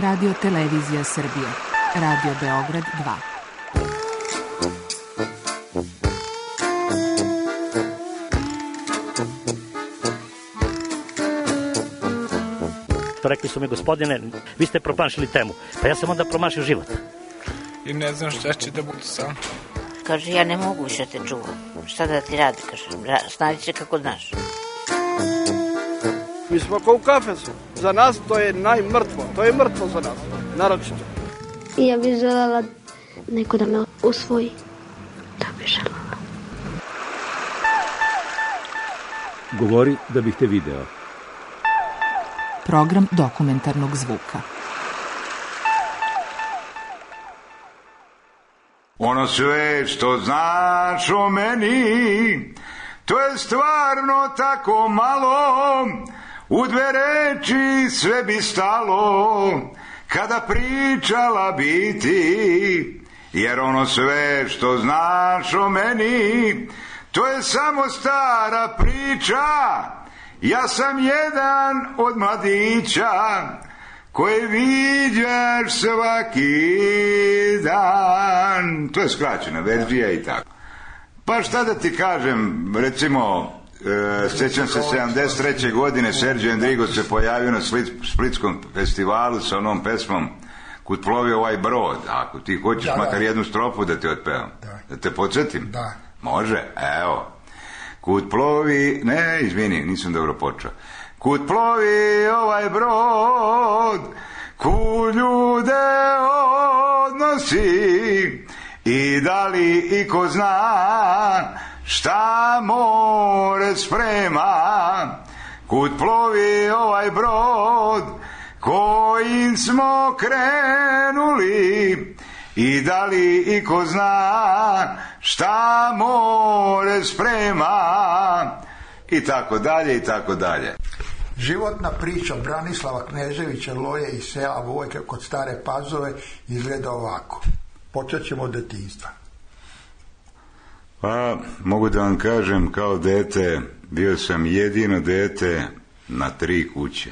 Radio Televizija Srbije. Radio Beograd 2. Rekli su mi, gospodine, vi ste promašili temu. Pa ja sam onda promašio život. I ne znam šta će da bude sam. Kaže, ja ne mogu više te čuvam. Šta da ti radi, kaže, snađi se kako znaš. Mi smo kao u kafesu. Za nas to je najmrtvo. To je mrtvo za nas, naročito. I ja bih želela neko da me usvoji. Da bih želela. Govori da bih te video. Program dokumentarnog zvuka. Ono sve što znaš o meni, to je stvarno tako malo, u dve reči sve bi stalo, kada pričala bi ti, jer ono sve što znaš o meni, to je samo stara priča, ja sam jedan od mladića, koje viđaš svaki dan. To je skraćena verzija i tako. Pa šta da ti kažem, recimo, sjećam se 73. godine Serđe Endrigo se pojavio na Splitskom festivalu sa onom pesmom Kud plovi ovaj brod. Ako ti hoćeš makar jednu strofu da ti otpevam. Da te podsjetim? Da. Može? Evo. Kud plovi... Ne, izvini, nisam dobro počeo. Kud plovi ovaj brod, kud ljude odnosi, i da li iko zna šta more sprema. Kud plovi ovaj brod kojim smo krenuli, i da li iko zna šta more sprema. I tako dalje, i tako dalje. Životna priča Branislava Kneževića Loje iz sela Vojka kod Stare Pazove izgleda ovako. Počet ćemo od detinjstva. Pa, mogu da vam kažem, kao dete, bio sam jedino dete na 3 kuće.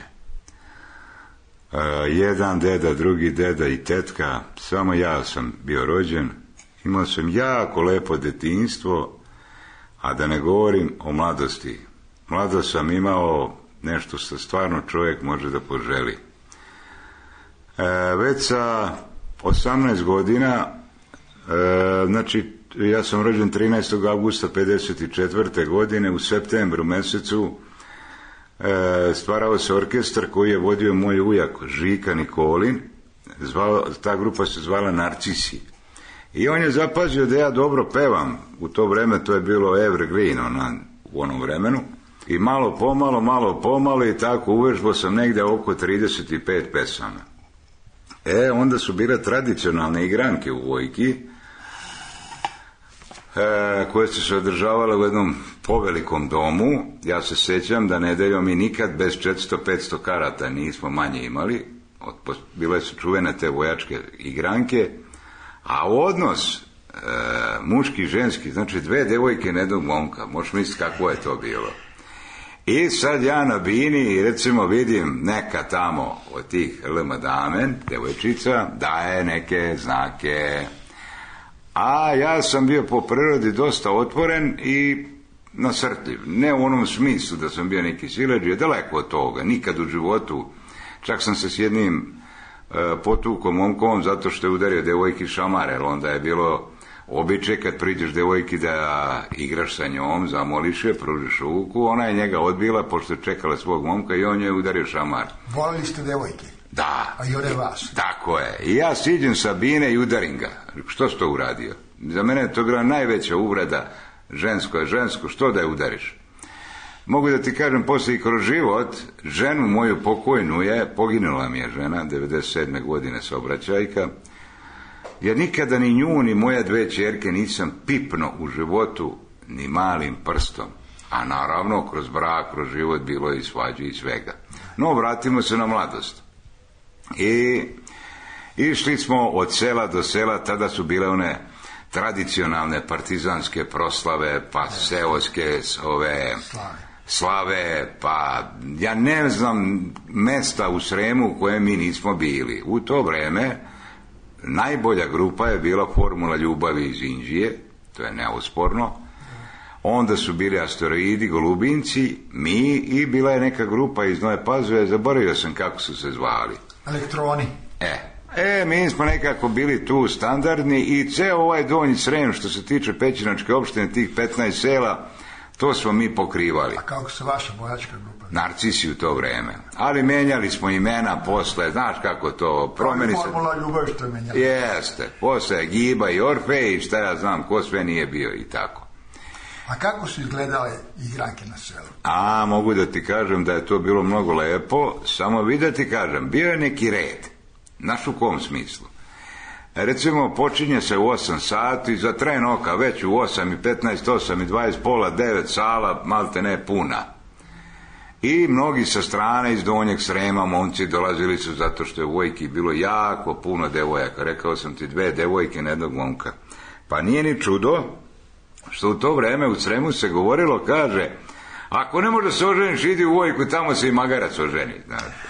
Jedan deda, drugi deda i tetka, samo ja sam bio rođen. Imao sam jako lepo detinjstvo, a da ne govorim o mladosti. Mlado sam imao nešto što stvarno čovjek može da poželi. Već sa 18 godina, znači ja sam rođen 13. augusta 54. godine, u septembru mesecu stvarao se orkestar koji je vodio moj ujak Žika Nikolin. Ta grupa se zvala Narcisi. I on je zapazio da ja dobro pevam. U to vreme to je bilo evergreen u onom vremenu. I malo pomalo i tako uvežbao sam negdje oko 35 pesama. Onda su bile tradicionalne igranke u Vojki, koje su se održavale u jednom povelikom domu. Ja se sjećam da nedeljom mi nikad bez 400-500 karata nismo manje imali. Bile su čuvene te vojačke igranke, a odnos muški i ženski, znači 2 devojke na jednog momka, možeš misliti kako je to bilo. I sad ja na bini recimo vidim neka tamo od tih madame, devojčica, daje neke znake. A ja sam bio po prirodi dosta otvoren i nasrtljiv. Ne u onom smislu da sam bio neki siledžija, daleko od toga, nikad u životu. Čak sam se s jednim potukom momkom zato što je udario devojki šamar, jer onda je bilo običaj kad priđeš devojki da igraš sa njom, zamoliš je, pružiš ruku, ona je njega odbila pošto je čekala svog momka i on je udario šamar. Volili ste devojke? Da. A i one vas? Tako je. I ja siđem sa bine i udarim ga. Što si to uradio? Za mene je to bila najveća uvreda. Žensko je žensko, što da je udariš? Mogu da ti kažem, poslije i kroz život, ženu moju pokojnu poginula mi je žena, 97. godine saobraćajka, jer nikada ni nju, ni moje 2 ćerke nisam pipno u životu ni malim prstom. A naravno, kroz brak, kroz život bilo je i svađe i svega. No, vratimo se na mladost. I išli smo od sela do sela, tada su bile one tradicionalne partizanske proslave, pa seoske slave, pa ja ne znam mesta u Sremu u kojem mi nismo bili. U to vreme najbolja grupa je bila Formula ljubavi iz Inđije, to je neosporno. Onda su bili Asteroidi, Golubinci, mi i bila je neka grupa iz Nove Pazove, zaboravio sam kako su se zvali. Elektroni. Mi smo nekako bili tu standardni i ceo ovaj Donji Srem što se tiče Pećinačke opštine, tih 15 sela, to smo mi pokrivali. A kako se vaša bojačka grupa? Narcisi u to vreme. Ali menjali smo imena posle, znaš kako to promeni se. Formula ljubavi što je menjala. Jeste, posle Giba i Orfej i šta ja znam, ko sve nije bio i tako. A kako su izgledale igranke na selu? Mogu da ti kažem da je to bilo mnogo lepo, samo vi da ti kažem, bio je neki red. Znaš u kom smislu? Recimo, počinje se u 8 sati, za tren oka već u 8:15, 8:20, pola 9 sala, malte ne puna. I mnogi sa strane iz Donjeg Srema, momci dolazili su zato što je u Vojki bilo jako puno devojaka. Rekao sam ti 2 devojke na jednog momka. Pa nije ni čudo što u to vreme u Sremu se govorilo, kaže, ako ne može se oženiš, idi u Vojku, tamo se i magarac oženi.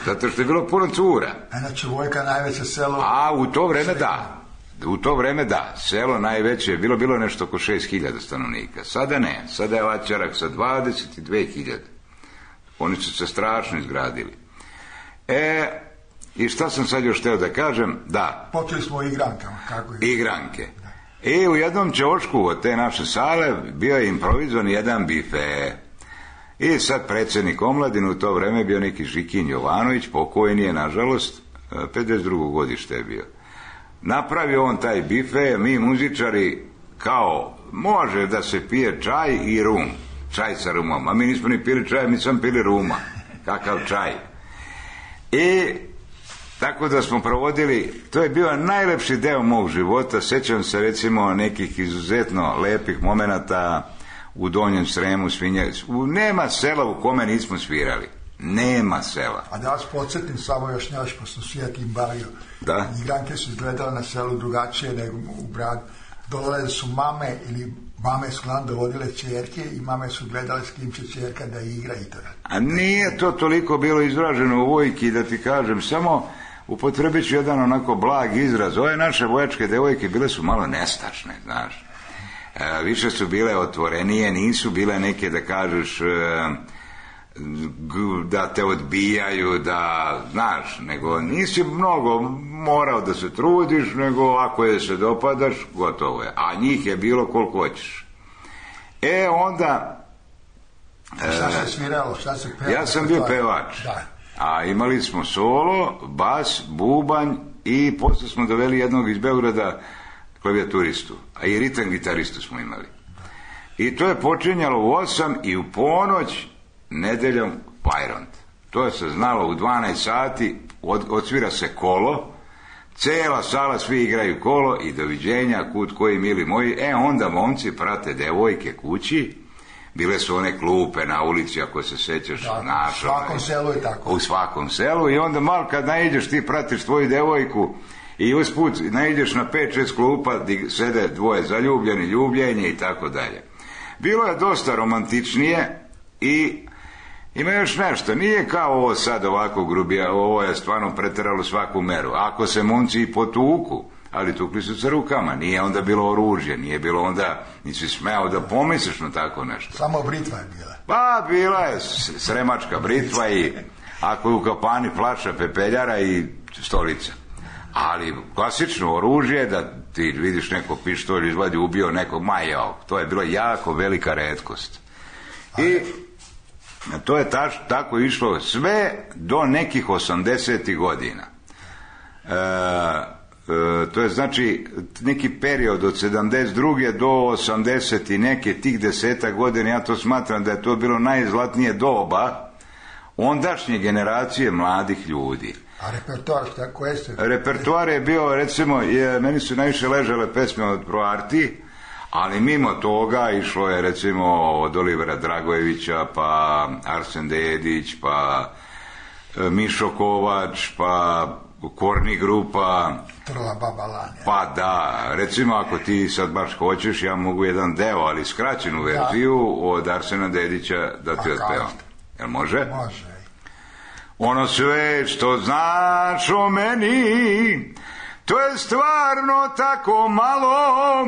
Zato što je bilo puno cura. Znači Vojka najveće selo? U to vreme da. U to vreme da. Selo najveće je bilo nešto oko 6.000 stanovnika. Sada ne. Sada je Vaćarak sa 22.000. Oni su se strašno izgradili. I šta sam sad još hteo da kažem? Da. Počeli smo o igrankama. Kako je? Igranke. I u jednom ćošku od te naše sale bio je improvizovan jedan bife. I sad predsjednik omladine u to vreme bio neki Žikin Jovanović, pokojni je, nažalost, 52. godište je bio. Napravio on taj bife, mi muzičari, kao, može da se pije čaj i rum. Čaj sa rumom. A mi nismo ni pili čaj, mi sam pili ruma. Kakav čaj. I tako da smo provodili, to je bio najlepši deo mog života. Sjećam se recimo nekih izuzetno lepih momenata u Donjem Sremu, nema sela u kome nismo svirali. Nema sela. A da vas podsjetim samo još nešto, pošto su ja tim bavio. Da? Igranke su izgledale na selu drugačije nego u gradu. Dolazile su mame ili mame su nam dovodile ćerke i mame su gledale s kim će ćerka da igra i to. A nije to toliko bilo izraženo u Vojki, da ti kažem, samo upotrebit ću jedan onako blag izraz. Ove naše vojačke devojke bile su malo nestašne, znaš. Više su bile otvorenije, nisu bile neke da kažeš da te odbijaju, da, znaš, nego nisi mnogo morao da se trudiš, nego ako je se dopadaš, gotovo je. A njih je bilo koliko hoćeš. Onda... Šta se sviralo, šta se pevalo? Ja sam bio pevač. Da. A imali smo solo, bas, bubanj i posle smo doveli jednog iz Beograda klavijaturistu, a i ritam gitaristu smo imali. I to je počinjalo u 8 i u ponoć nedeljom Pajront. To se znalo u 12 sati, odsvira se kolo, cela sala, svi igraju kolo i doviđenja, kud koji mili moji. Onda momci prate devojke kući, bile su one klupe na ulici, ako se sećaš. U svakom selu je tako. U svakom selu i onda malo kad naiđeš, ti pratiš tvoju devojku i usput naiđeš na 5-6 klupa gdje sede dvoje zaljubljeni, ljubljenje i tako dalje. Bilo je dosta romantičnije i ima još nešto, nije kao ovo sad ovako grubija, ovo je stvarno preteralo svaku meru. Ako se momci i potuku, ali tukli su sa rukama, nije onda bilo oružje, nije bilo onda, nisi smeo da pomisliš na tako nešto. Samo britva je bila. Pa bila je sremačka britva i ako je u kapani flaša pepeljara i stolica. Ali klasično oružje, da ti vidiš neko pištolj izvadi, ubio nekog, to je bilo jako velika retkost. I to je tako išlo sve do nekih 80. godina. To je znači neki period od 72. do 80. i neke tih 10 godina, ja to smatram da je to bilo najzlatnije doba ondašnje generacije mladih ljudi. A repertoar, šta koje ste? Repertoar je bio, recimo, meni su najviše ležale pesme od Proarti, ali mimo toga išlo je recimo od Olivera Dragojevića, pa Arsen Dedić, pa Mišo Kovač, pa Korni grupa. Trla Baba Lanja. Pa da, recimo ako ti sad baš hoćeš, ja mogu jedan deo, ali skraćenu verziju od Arsena Dedića da ti otpevam. Jel može? Može. Ono sve što znaš o meni, to je stvarno tako malo,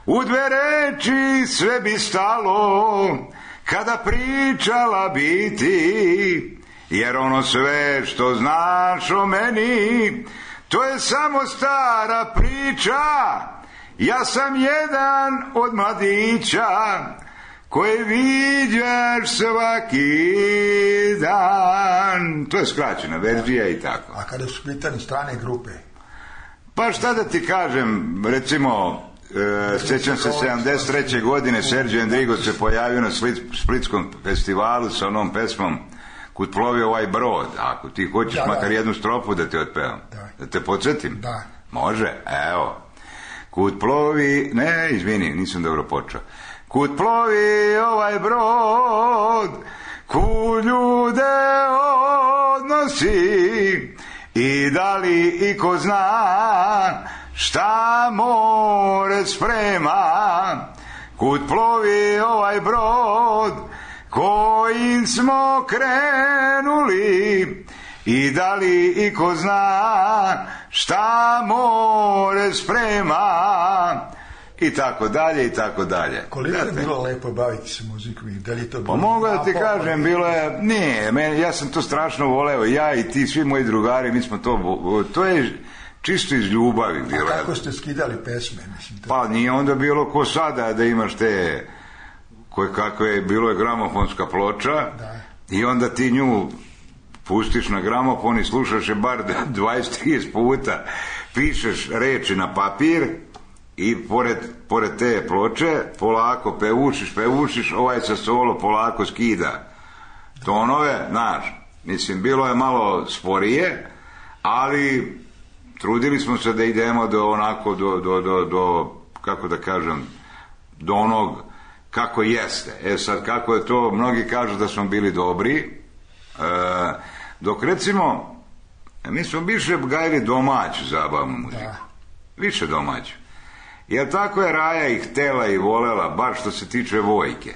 u 2 reči sve bi stalo, kada pričala bi ti, jer ono sve što znaš o meni, to je samo stara priča, ja sam jedan od mladića, koje viđaš svaki dan. To je skraćena verzija i tako. A kada su pitani strane grupe? Pa šta da ti kažem, recimo, sjećam se 73. godine Serđe Endrigo se pojavio na Splitskom festivalu sa onom pesmom Kud plovi ovaj brod. Ako ti hoćeš makar jednu strofu da te otpevam. Da te podsjetim? Da. Može? Evo. Kud plovi... Ne, izvini, nisam dobro počeo. Kud plovi ovaj brod, kud ljude odnosi, i da li iko zna šta more sprema, kud plovi ovaj brod kojim smo krenuli, i da li iko zna šta more sprema, i tako dalje, i tako dalje. Koliko je bilo lepo baviti se muzikom i da li to bilo... Pa mogu da ti kažem, bilo je... Nije, ja sam to strašno voleo, ja i ti, svi moji drugari, mi smo to je čisto iz ljubavi bilo. A kako ste skidali pesme? Mislim, pa nije onda bilo ko sada da imaš te... kako je, bilo je gramofonska ploča, i onda ti nju pustiš na gramofon i slušaš je bar 20-30 puta, pišeš reči na papir, i pored te ploče polako pevušiš, ovaj sa solo polako skida tonove, znaš, mislim, bilo je malo sporije, ali trudili smo se da idemo do onako, do kako da kažem, do onog kako jeste. Sad, kako je to, mnogi kažu da smo bili dobri, dok recimo mi smo više gajili domaću zabavnu muziku, više domaću. Jer tako je Raja i htela i volela, baš što se tiče Vojke.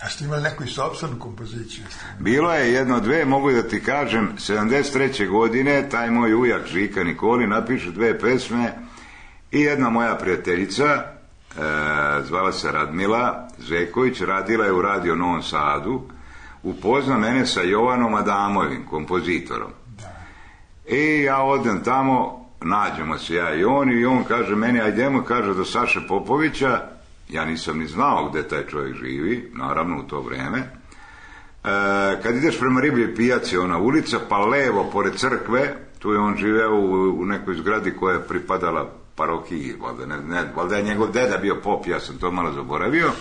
A ste imali neku i sopstvenu kompoziciju? Bilo je 1-2, mogu da ti kažem, 73. godine taj moj ujak Žika Nikoli napiše 2 pesme i jedna moja prijateljica, zvala se Radmila Zeković, radila je u Radio Novom Sadu, upozna mene sa Jovanom Adamovim, kompozitorom. I ja odem tamo, nađemo se ja i on kaže meni, ajdemo, kaže, do Saše Popovića. Ja nisam ni znao gde taj čovjek živi, naravno u to vreme. Kad ideš prema Ribljoj pijaci, ona ulica, pa levo pored crkve, tu je on živeo u nekoj zgradi koja je pripadala parohiji, valjda je njegov deda bio pop, ja sam to malo zaboravio,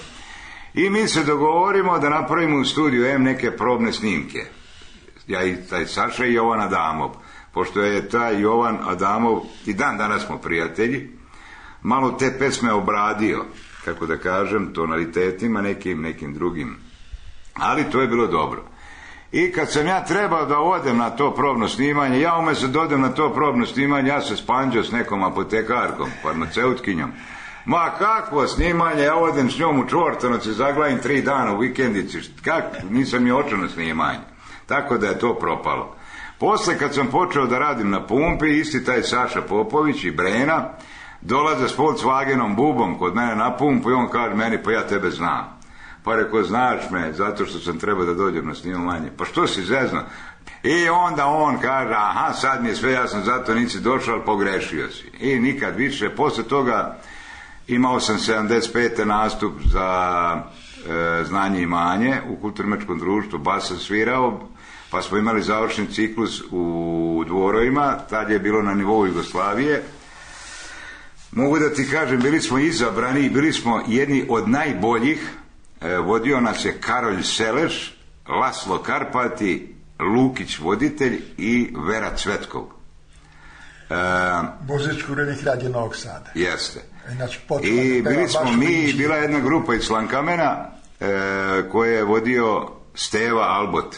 i mi se dogovorimo da napravimo u studiju M neke probne snimke, ja i taj Saša i Jovan Adamov. Pošto je taj Jovan Adamov, i dan danas smo prijatelji, malo te pesme obradio, kako da kažem, tonalitetima, nekim drugim, ali to je bilo dobro. I kad sam ja trebao da odem na to probno snimanje, ja umjesto da odem na to probno snimanje, ja se spanđao s nekom apotekarkom, farmaceutkinjom. Ma kakvo snimanje, ja odem s njom u Čvortanovac i zaglavim 3 dana u vikendici, nisam je očeo na snimanje. Tako da je to propalo. Posle kad sam počeo da radim na pumpi, isti taj Saša Popović i Brena dolaze s Volkswagenom bubom kod mene na pumpu i on kaže meni, pa ja tebe znam. Pa rekao, znaš me, zato što sam trebao da dođem na snimanje. Pa što si zezno? I onda on kaže, aha, sad mi je sve jasno, zato nisi došao, ali pogrešio si. I nikad više. Posle toga imao sam 75. nastup za znanje i imanje u Kulturno-umetničkom društvu, bas sam svirao, pa smo imali završni ciklus u Dvorovima, tad je bilo na nivou Jugoslavije. Mogu da ti kažem, bili smo izabrani i bili smo jedni od najboljih. Vodio nas je Karolj Seleš, Laslo Karpati, Lukić voditelj i Vera Cvetkov. Muzičku urednik Radio Novog Sada. Jeste. I bili smo mi, bila je jedna grupa iz Slankamena koje je vodio Steva Albot.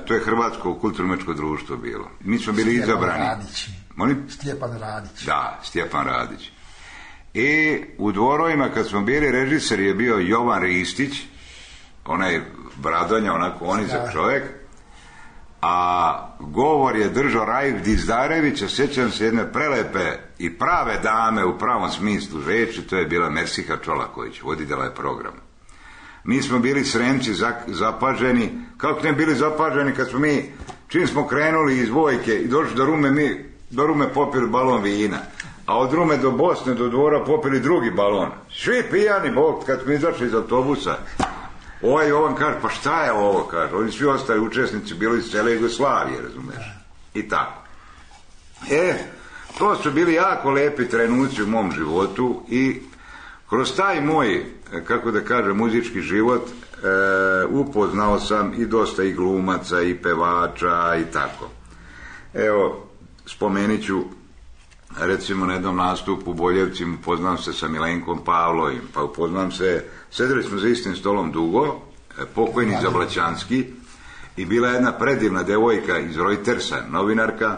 To je Hrvatsko kulturno-umjetničko društvo bilo. Mi smo bili izabrani. Stjepan Radić. Da, Stjepan Radić. I u Dvorovima kad smo bili, režiser je bio Jovan Ristić, onaj Bradonja, onako onizak čovjek, a govor je držao Raif Dizdarević, a sjećam se jedne prelepe i prave dame u pravom smislu reči, to je bila Mersiha Čolaković, voditelj je program. Mi smo bili Sremci zapaženi, kako ne bili zapaženi kad smo mi, čim smo krenuli iz Vojke i došli do Rume, mi do Rume popili balon vina, a od Rume do Bosne, do Dvora popili drugi balon. Svi pijani, Bog, kad smo izašli iz autobusa, Jovan kaže, pa šta je ovo, kaže, oni svi ostali učesnici bili iz cele Jugoslavije, razumeš, i tako. To su bili jako lepi trenuci u mom životu i kroz taj moj, kako da kažem, muzički život, upoznao sam i dosta i glumaca i pevača i tako. Evo, spomenit ću, recimo na jednom nastupu u Boljevcima upoznam se sa Milenkom Pavlovim, pa upoznam se, sedeli smo za istim stolom dugo, pokojni Zablaćanski, i bila jedna predivna devojka iz Reutersa, novinarka,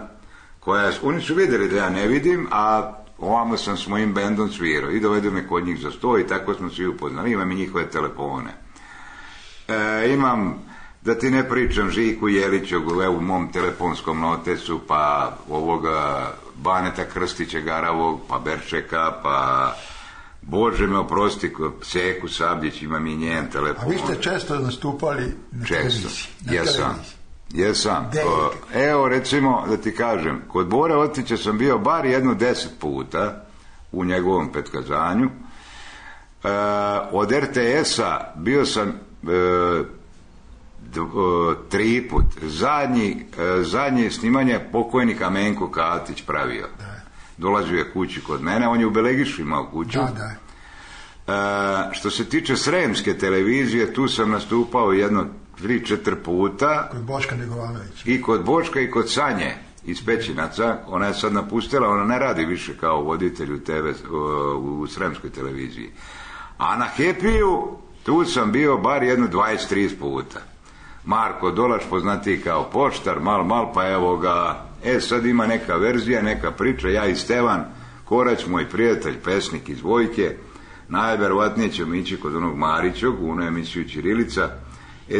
koja, oni su vidjeli da ja ne vidim, a ovamo sam s mojim bendom svirao i dovedu me kod njih za sto i tako smo svi upoznali, imam i njihove telefone. Imam, da ti ne pričam, Žiku Jeliću, u mom telefonskom notesu, pa ovoga Baneta Krstića Garavog, pa Berčeka, pa Bože me oprosti, Seku Sabljić, imam i njen telefon. A vi ste često nastupali na televiziji? Jesam. Evo, recimo, da ti kažem, kod Bore Otića sam bio bar 10 puta u njegovom petkazanju. Od RTS-a bio sam 3 put. Zadnje snimanje pokojnik Amenko Katić pravio. Dolazio je kući kod mene, on je u Belegišu imao kuću. Što se tiče sremske televizije, tu sam nastupao 3-4 puta. Kod Boška Negovanovića. I kod Boška i kod Sanje iz Pećinaca. Ona je sad napustila, ona ne radi više kao voditelj u sremskoj televiziji. A na Happy-u tu sam bio bar 20-30 puta. Marko Dolaš, poznatiji kao Poštar, mal, pa evo ga, sad ima neka verzija, neka priča, ja i Stevan Korać, moj prijatelj, pesnik iz Vojke, najverovatnije ćemo ići kod onog Marićog, u onu emisiju Ćirilica.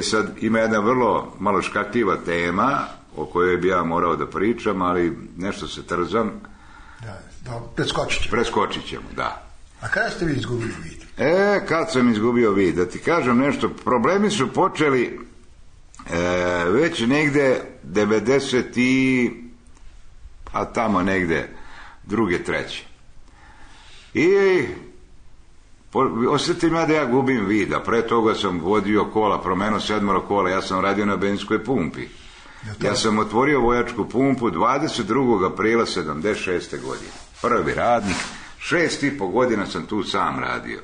Sad ima jedna vrlo malo škakljiva tema o kojoj bi ja morao da pričam, ali nešto se trzam. Preskočit ćemo, da. A kada ste vi izgubili vid? Kad sam izgubio vid, da ti kažem nešto, problemi su počeli već negde 90 a tamo negde 2. 3. I osjetim ja da ja gubim vida. Pre toga sam vodio kola, promenio 7 kola, ja sam radio na benzinskoj pumpi. Ja sam otvorio vojačku pumpu 22. aprila 76. godine. Prvi radnik, 6,5 godina sam tu sam radio.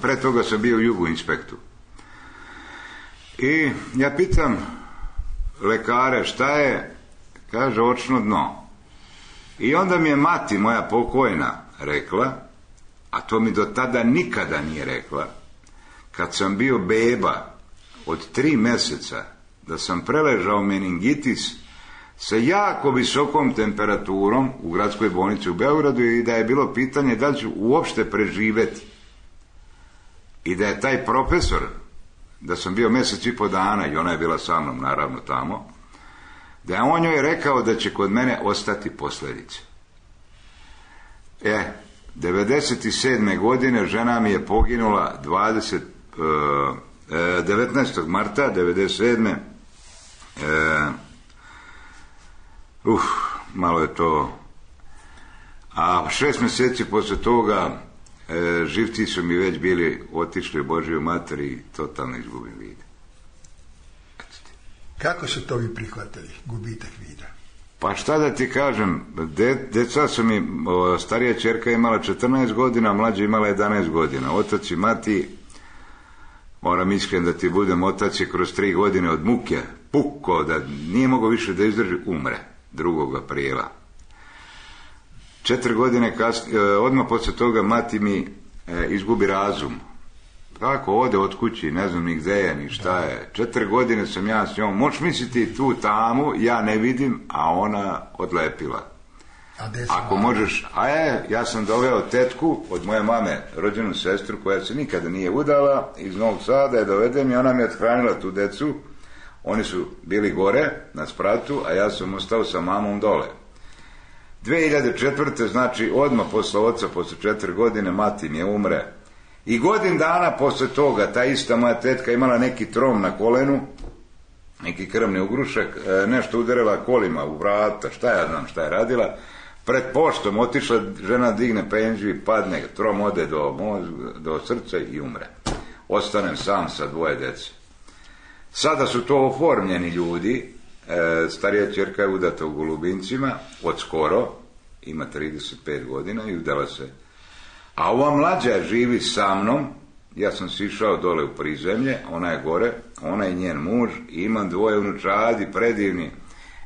Pre toga sam bio u Jugu inspektu. I ja pitam lekare šta je, kaže očno dno. I onda mi je mati moja pokojna rekla, a to mi do tada nikada nije rekla, kad sam bio beba od 3 mjeseca, da sam preležao meningitis sa jako visokom temperaturom u gradskoj bolnici u Beogradu i da je bilo pitanje da li ću uopšte preživeti. I da je taj profesor, da sam bio 1,5 mjeseca dana i ona je bila sa mnom naravno tamo, da je on joj rekao da će kod mene ostati posljedice. 97. godine žena mi je poginula 19. marta 97. Malo je to. A 6 mjeseci poslije toga živci su mi već bili otišli u Božju mater i totalno izgubim vid. Kako su to vi prihvatili, gubitak vida? Pa šta da ti kažem, djeca su mi, starija ćerka imala 14 godina, mlađa imala 11 godina. Otac i mati, moram iskren da ti budem, otac je kroz 3 godine od muke pukao, da nije mogao više da izdrži, umre 2. aprila. 4 godine kasnije, odmah poslije toga mati mi izgubi razum. Tako ode od kući, ne znam ni gde je, ni šta je. 4 godine sam ja s njom, možeš misliti tu tamu, ja ne vidim, a ona odlepila. Ako možeš, ja sam doveo tetku od moje mame, rođenu sestru koja se nikada nije udala, iz Novog Sada je dovedem i ona mi je othranila tu decu. Oni su bili gore na spratu, a ja sam ostao sa mamom dole. 2004. znači odmah posle oca, posle 4 godine, mati mi je umre. I godin dana posle toga ta ista moja tetka imala neki trom na kolenu, neki krvni ugrušak, nešto udarila kolima u vrata, šta ja znam šta je radila. Pred poštom otišla, žena digne penziju i padne, trom ode do srca i umre. Ostanem sam sa 2 dece. Sada su to oformljeni ljudi, starija ćerka je udata u Golubincima, od skoro, ima 35 godina i udala se. A ova mlađa živi sa mnom, ja sam sišao dole u prizemlje, ona je gore, ona je njen muž, i imam 2 unučadi, predivni.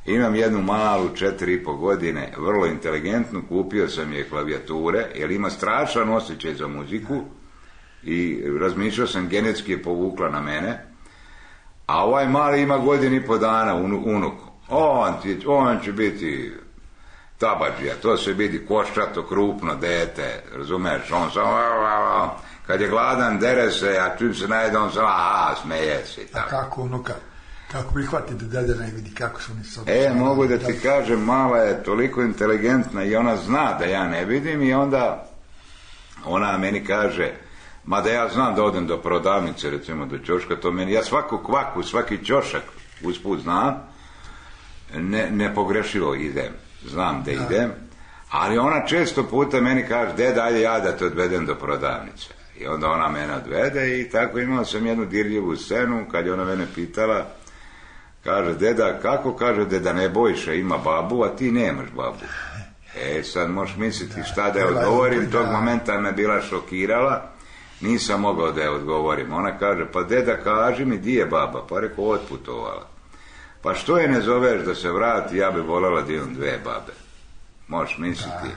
Imam jednu malu, 4,5 godine, vrlo inteligentnu, kupio sam je klavijature, jer ima strašan osjećaj za muziku i razmišljao sam, genetski je povukla na mene. A ovaj mali ima 1,5 dana, unuk. On će biti tabadžija, to se vidi koščato, krupno dete, razumeš, on sam, kad je gladan, dere se, a čim se najede, on sam, smeje se. A kako unuka? Kako prihvati da dede ne vidi kako su oni mogu da ti kažem, mala je toliko inteligentna i ona zna da ja ne vidim i onda ona meni kaže, mada ja znam da odem do prodavnice, recimo do ćoška, to meni, ja svaku kvaku, svaki ćošak usput znam, ne pogrešivo idem, znam da idem, ali ona često puta meni kaže, deda, ajde ja da te odvedem do prodavnice. I onda ona mene odvede i tako imao sam jednu dirljivu scenu, kad je ona mene pitala, kaže, deda, kako? Kaže, deda Nebojša ima babu, a ti nemaš babu. Sad možeš misliti šta da je odgovorim, tog momenta me bila šokirala, nisam mogao da je odgovorim. Ona kaže, pa deda, kaži mi, di je baba? Pa rekao, otputovala. Pa što je ne zoveš da se vrati, ja bi voljela da imam 2 babe. Možeš misliti.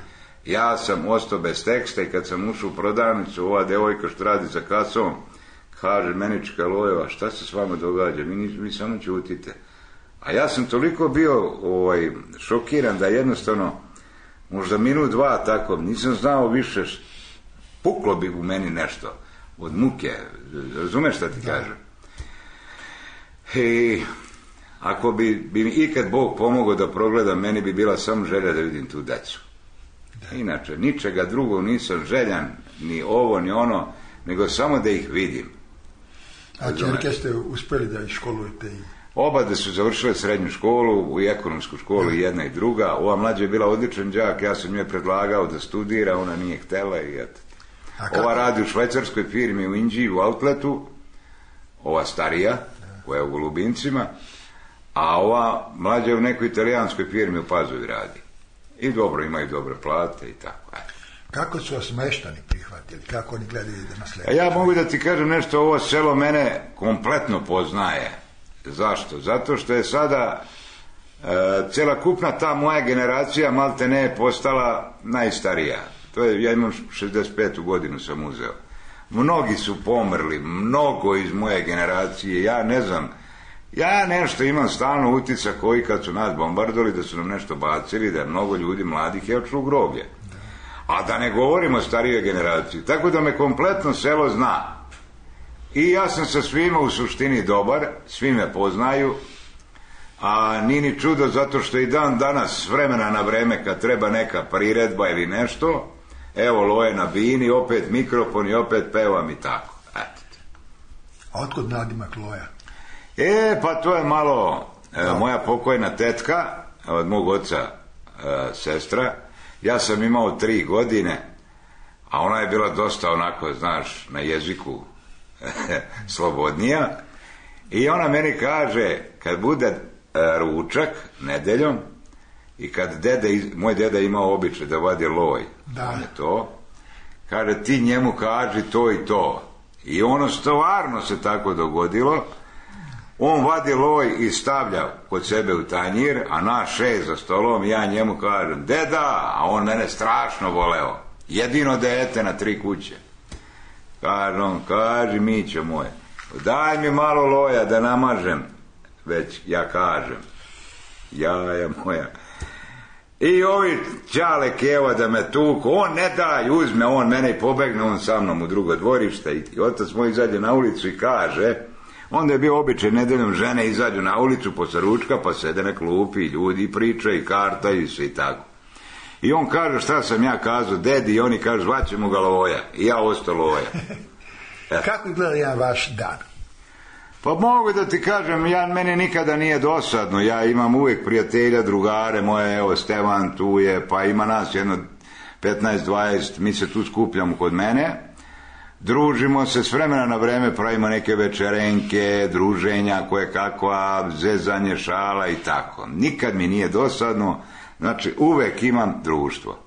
Ja sam ostao bez teksta i kad sam ušao u prodavnicu, ova devojka što radi za kasom, kaže, Menička Lojeva, šta se s vama događa? Vi samo ćutite. A ja sam toliko bio šokiran da jednostavno, možda minut 2 tako, nisam znao više, puklo bi u meni nešto od muke. Razumeš šta ti kažem? I ako bi mi ikad Bog pomogao da progledam, meni bi bila samo želja da vidim tu decu. Inače, ničega drugog nisam željan, ni ovo, ni ono, nego samo da ih vidim. A čerke ste uspeli da ih školujete? Oba da su završile srednju školu, i ekonomsku školu, i jedna i druga. Ova mlađa je bila odličan đak, ja sam joj predlagao da studira, ona nije htela i eto. Ova radi u švajcarskoj firmi u Inđiji, u outletu, ova starija, koja je u Golubincima, a ova mlađa je u nekoj italijanskoj firmi u Pazovi radi. I dobro, imaju dobre plate i tako. Kako su vas meštani prihvatili? Kako oni gledaju da nasleduju? Ja mogu da ti kažem nešto, ovo selo mene kompletno poznaje. Zašto? Zato što je sada celokupna ta moja generacija malte ne je postala najstarija. To je, ja imam 65. godinu sam uzeo. Mnogi su pomrli, mnogo iz moje generacije, ja ne znam. Ja nešto imam stalno utisak koji kad su nas bombardovali da su nam nešto bacili, da je mnogo ljudi mladih je otišlo u groblje. A da ne govorimo o starijoj generaciji. Tako da me kompletno selo zna. I ja sam sa svima u suštini dobar, svi me poznaju, a nije ni čudo zato što i dan danas s vremena na vreme kad treba neka priredba ili nešto, evo Loje na bini, opet mikrofon i opet pevam i tako. Eto. A otkud nadimak Loja? Pa to je malo moja pokojna tetka, od mog oca sestra. Ja sam imao 3 godine, a ona je bila dosta onako, znaš, na jeziku slobodnija. I ona meni kaže, kad bude ručak nedeljom i kad moj deda imao običaj da vadi loj, kaže, ti njemu kaži to i to. I ono stvarno se tako dogodilo. On vadi loj i stavlja kod sebe u tanjir, a naš 6 za stolom, ja njemu kažem, deda, a on mene strašno voleo. Jedino dete na 3 kuće. Kažem, kaži Mićo moj, daj mi malo loja da namažem, već ja kažem, jaja moja. I ovi Čale Keva da me tuku, on ne daj, uzme on mene i pobegne on sa mnom u drugo dvorište i otac moj izađe na ulicu i kaže, onda je bio običaj nedeljom žene izađu na ulicu posle ručka pa sede na klupi i ljudi pričaju i kartaju se i tako. I on kaže šta sam ja kazao dedi i oni kažu zvaćemo ga Loja i ja ostao Loja. Kako izgleda jedan vaš dan? Pa mogu da ti kažem, meni nikada nije dosadno, ja imam uvijek prijatelja, drugare moje, evo Stevan tu je, pa ima nas jedno 15-20, mi se tu skupljamo kod mene, družimo se s vremena na vreme, pravimo neke večerenke, druženja, koje kakva, zezanje, šala i tako. Nikad mi nije dosadno, znači uvijek imam društvo.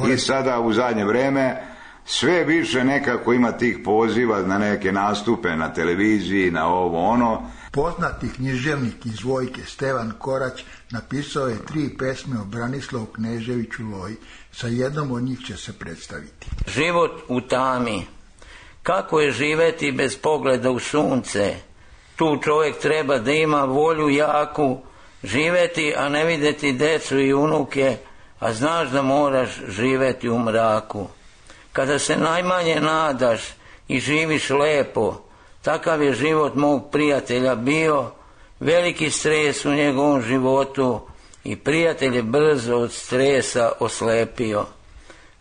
I sada u zadnje vreme sve više nekako ima tih poziva na neke nastupe na televiziji, na ovo ono. Poznati književnik iz Vojke Stevan Korać napisao je 3 pesme o Branislavu Kneževiću Loji. Sa jednom od njih će se predstaviti. Život u tami. Kako je živeti bez pogleda u sunce? Tu čovjek treba da ima volju jaku, živeti, a ne vidjeti decu i unuke, a znaš da moraš živeti u mraku. Kada se najmanje nadaš i živiš lepo, takav je život mog prijatelja bio, veliki stres u njegovom životu i prijatelj je brzo od stresa oslepio.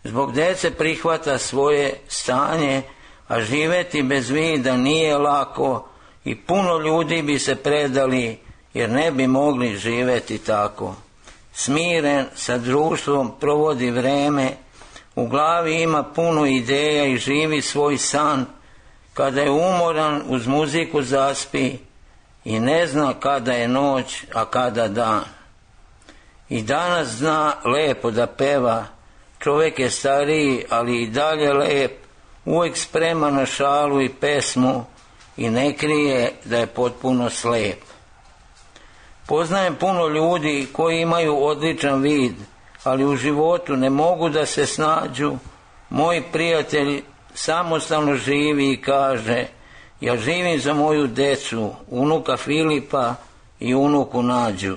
Zbog dece prihvata svoje stanje, a živeti bez vida nije lako i puno ljudi bi se predali jer ne bi mogli živeti tako. Smiren sa društvom provodi vreme, u glavi ima puno ideja i živi svoj san, kada je umoran uz muziku zaspi i ne zna kada je noć, a kada dan. I danas zna lepo da peva, čovjek je stariji, ali i dalje lep, uvijek spreman na šalu i pesmu i ne krije da je potpuno slep. Poznajem puno ljudi koji imaju odličan vid, ali u životu ne mogu da se snađu. Moj prijatelj samostalno živi i kaže, ja živim za moju decu, unuka Filipa i unuku Nađu.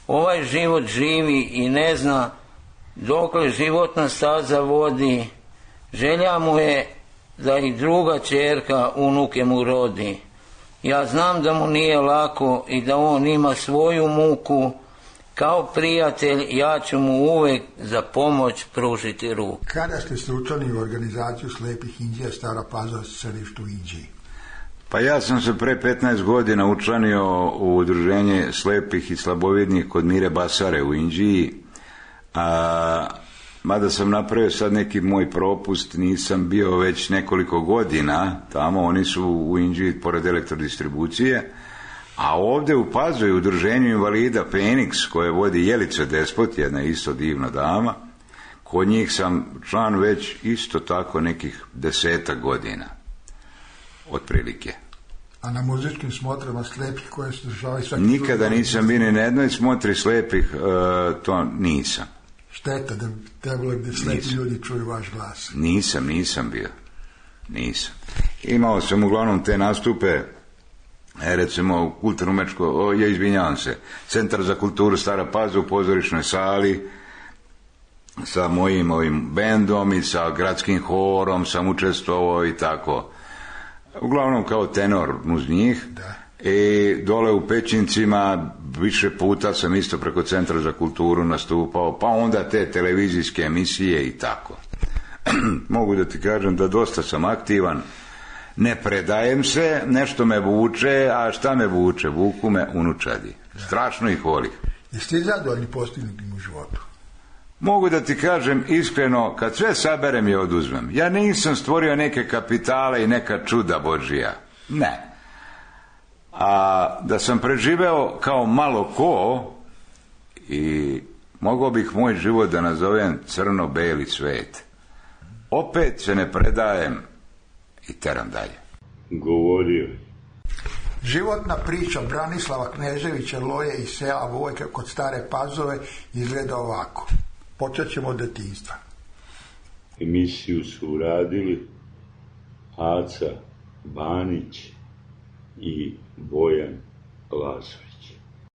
Ovaj život živi i ne zna dokle životna staza vodi, želja mu je da i druga ćerka unuke mu rodi. Ja znam da mu nije lako i da on ima svoju muku, kao prijatelj ja ću mu uvijek za pomoć pružiti ruku. Kada ste se učlanili u organizaciju slepih Inđija Stara Pazova središtu u Inđiji? Pa ja sam se pre 15 godina učlanio u udruženje slepih i slabovidnih kod Mire Basare u Inđiji, mada sam napravio sad neki moj propust, nisam bio već nekoliko godina tamo, oni su u Inđiji pored elektrodistribucije, a ovdje u Pazovi u udruženju invalida Feniks koje vodi Jelica Despot, jedna isto divna dama, kod njih sam član već isto tako nekih 10 godina otprilike. A na muzičkim smotrama slepih koje se državaju svaki... Nikada nisam bio ni na jednoj smotri slepih, to nisam. Šteta da bi trebalo gdje slepi ljudi čuju vaš glas. Nisam bio. Nisam. Imao sam uglavnom te nastupe, recimo kulturno-mečko, izvinjavam se, Centar za kulturu Stara Pazova u pozorišnoj sali, sa mojim ovim bendom i sa gradskim horom sam učestvovao i tako. Uglavnom kao tenor uz njih. Da. I dole u Pećincima više puta sam isto preko Centra za kulturu nastupao, pa onda te televizijske emisije i tako. Mogu da ti kažem da dosta sam aktivan, ne predajem se, nešto me vuče, a šta me vuče? Vuku me unučadi. Strašno ih volim. Jeste li zadovoljni postignutim u životu? Mogu da ti kažem iskreno, kad sve saberem i oduzmem, ja nisam stvorio neke kapitale i neka čuda Božija. Ne. A da sam preživeo kao malo ko i mogao bih moj život da nazovem crno-beli svet. Opet se ne predajem i teram dalje. Govorio. Životna priča Branislava Kneževića Loje iz sela Vojka kod Stare Pazove izgleda ovako. Počet ćemo od detinjstva. Emisiju su uradili, Aca Banić i Bojan Lazović.